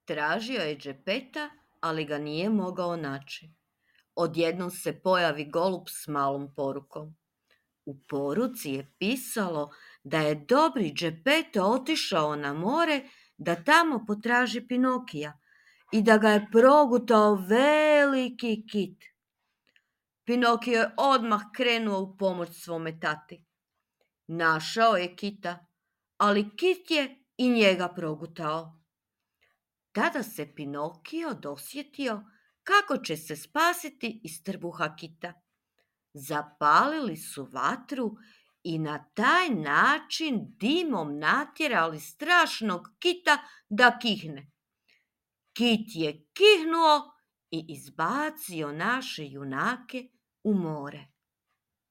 Tražio je Geppetta, ali ga nije mogao naći. Odjednom se pojavi golub s malom porukom. U poruci je pisalo da je dobri Geppetto otišao na more da tamo potraži Pinokija i da ga je progutao veliki kit. Pinokio je odmah krenuo u pomoć svome tati. Našao je kita, ali kit je i njega progutao. Tada se Pinokio dosjetio kako će se spasiti iz trbuha kita. Zapalili su vatru i na taj način dimom natjerali strašnog kita da kihne. Kit je kihnuo i izbacio naše junake u more.